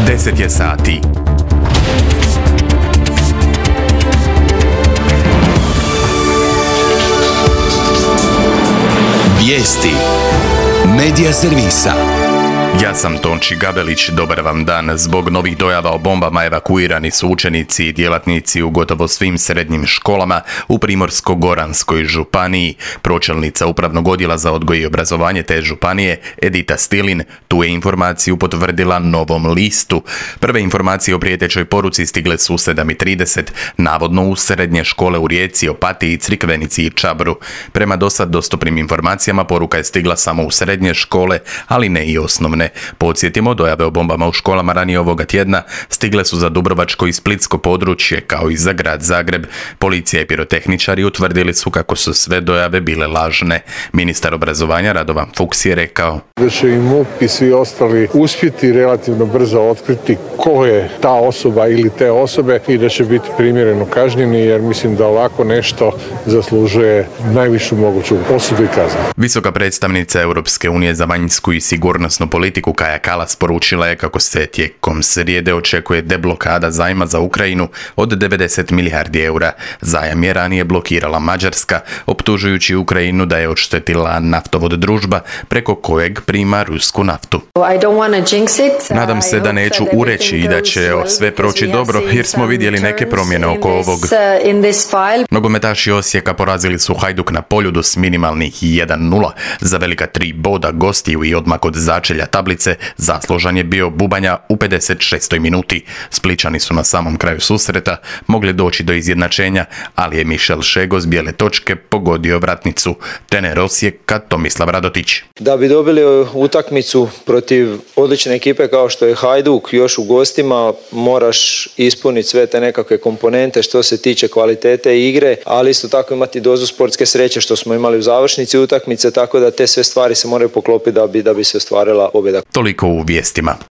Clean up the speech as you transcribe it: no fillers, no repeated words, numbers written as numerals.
10 je sati. Vijesti Medija servisa. Ja sam Tonči Gabelić, dobar vam dan. Zbog novih dojava o bombama evakuirani su učenici i djelatnici u gotovo svim srednjim školama u Primorsko-goranskoj županiji. Pročelnica Upravnog odjela za odgoj i obrazovanje te županije, Edita Stilin, tu je informaciju potvrdila Novom listu. Prve informacije o prijetećoj poruci stigle su u 7:30, navodno u srednje škole u Rijeci, Opatiji, Crikvenici i Čabru. Prema dosad dostupnim informacijama poruka je stigla samo u srednje škole, ali ne i osnovne. Podsjetimo, dojave o bombama u školama ranije ovoga tjedna stigle su za Dubrovačko i Splitsko područje, kao i za grad Zagreb. Policija i pirotehničari utvrdili su kako su sve dojave bile lažne. Ministar obrazovanja Radovan Fuchs je rekao da će i MUP i svi ostali uspjeti relativno brzo otkriti ko je ta osoba ili te osobe i da će biti primjereno kažnjeni, jer mislim da ovako nešto zaslužuje najvišu moguću osudu i kaznu. Visoka predstavnica Europske unije za vanjsku i sigurnosnu politiku Kaja Kallas poručila je kako se tijekom srijede očekuje deblokada zajma za Ukrajinu od 90 milijardi eura. Zajam je ranije blokirala Mađarska, optužujući Ukrajinu da je odštetila naftovod Družba preko kojeg prima rusku naftu. Nadam se da neću ureći i da će sve proći dobro, jer smo vidjeli neke promjene oko ovog. Nogometaši Osijeka porazili su Hajduk na Poljudu s minimalnih 1:0. Za velika 3 boda gostiju i odmak od začelja tablice zaslužan je bio Bubanja u 56. minuti. Splićani su na samom kraju susreta mogli doći do izjednačenja, ali je Mišel Šego s bijele točke pogodio vratnicu. Trener Osijeka Tomislav Radotić. Da bi dobili utakmicu protiv odlične ekipe kao što je Hajduk, još u gostima moraš ispuniti sve te nekakve komponente što se tiče kvalitete igre, ali isto tako imati dozu sportske sreće što smo imali u završnici utakmice, tako da te sve stvari se moraju poklopiti da bi se ostvarila pobjeda. Toliko u vijestima.